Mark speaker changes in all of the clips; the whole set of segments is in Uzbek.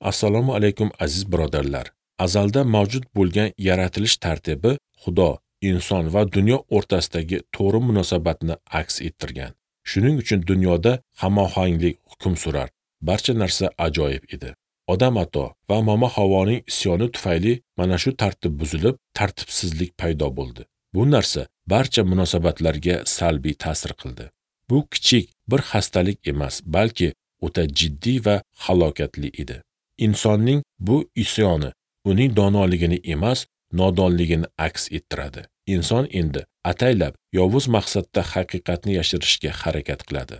Speaker 1: Assalomu alaykum aziz birodarlar. Azalda mavjud bo'lgan yaratilish tartibi Xudo, inson va dunyo o'rtasidagi to'g'ri munosabatni aks ettirgan. Shuning uchun dunyoda hamohanglik hukm surar. Barcha narsa ajoyib edi. Odam ato va Mama Havoning isyoni tufayli mana shu tartib buzilib, tartibsizlik paydo bo'ldi. Bu narsa barcha munosabatlarga salbiy ta'sir qildi. Bu kichik bir xastalik emas, balki o'ta jiddiy va halokatli edi. Insonning bu isyoni uning donoligini emas, nodonligini aks ettiradi. Inson endi ataylab yovuz maqsadda haqiqatni yashirishga harakat qiladi.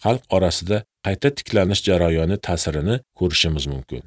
Speaker 1: Xalq orasida qayta tiklanish jarayoni ta'sirini ko'rishimiz mumkin.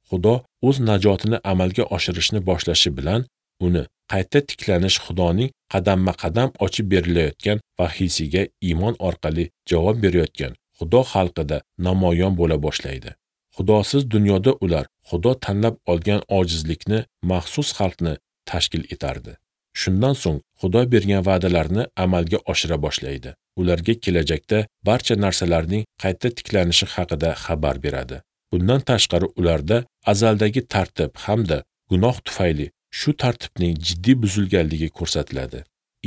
Speaker 1: Xudo o'z najotini amalga oshirishni boshlashi bilan uni qayta tiklanish Xudoning qadamma-qadam ochib berilayotgan vahiysiga iymon orqali javob berayotgan Xudo xalqida namoyon bo'la boshlaydi. Xudosiz dunyoda ular Xudo tanlab olgan ojizlikni, maxsus xalqni tashkil etardi. Shundan so'ng Xudo bergan va'dalarni amalga oshira boshlaydi. Ularga kelajakda barcha narsalarning qayta tiklanishi haqida xabar beradi. Bundan tashqari ularda azaldagi tartib hamda gunoh tufayli shu tartibning jiddiy buzilganligi ko'rsatiladi.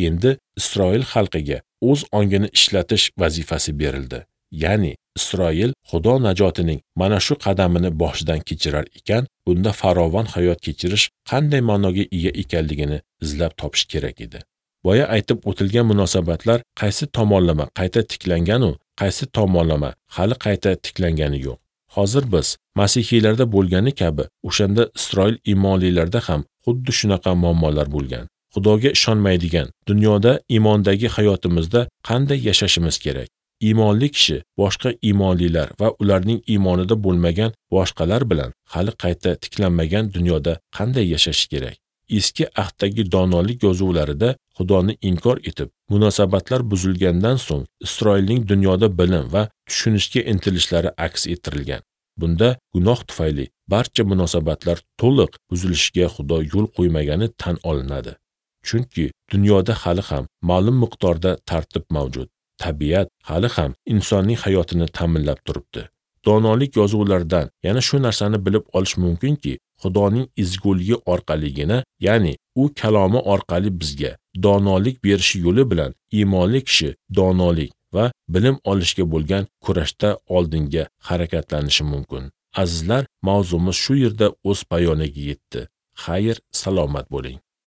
Speaker 1: Endi Isroil xalqiga o'z ongini ishlatish vazifasi berildi. Ya'ni Isroil Xudo najotining mana shu qadamini boshidan kechirar ekan, bunda farovon hayot kechirish qanday ma'noga ega ekanligini izlab topish kerak edi. Boya aytib o'tilgan munosabatlar qaysi tomonlama qayta tiklangan-u, qaysi tomonlama hali qayta tiklangani yo'q. Hozir biz masihiylarda bo'lgani kabi o'shanda Isroil iymonlilarda ham xuddi shunaqa muammolar bo'lgan. Xudoga ishonmaydigan dunyoda iymondagi hayotimizda qanday yashashimiz kerak? Iymonli kishi boshqa iymonlilar va ularning iymonida bo'lmagan boshqalar bilan hali qayta tiklanmagan dunyoda qanday yashashi kerak? Eski ahddagi donolik yozuvlarida Xudoni inkor etib, munosabatlar buzilgandan so'ng Isroilning dunyoda bilim va tushunishga intilishlari aks ettirilgan. Bunda gunoh tufayli barcha munosabatlar to'liq buzilishiga Xudo yo'l qo'ymagani tan olinadi. Chunki dunyoda hali ham ma'lum miqdorda tartib mavjud. Tabiat hali ham insonning hayotini ta'minlab turibdi. Donolik yozuvlaridan yana shu narsani bilib olish mumkinki, Xudoning ezguligi orqaligina, ya'ni u kalomi orqali bizga donolik berishi yo'li bilan iymonli kishi donolik va bilim olishga bo'lgan kurashda oldinga harakatlanishi mumkin. Azizlar, mavzumiz shu yerda o'z poyoniga yetdi. Xayr, salomat bo'ling.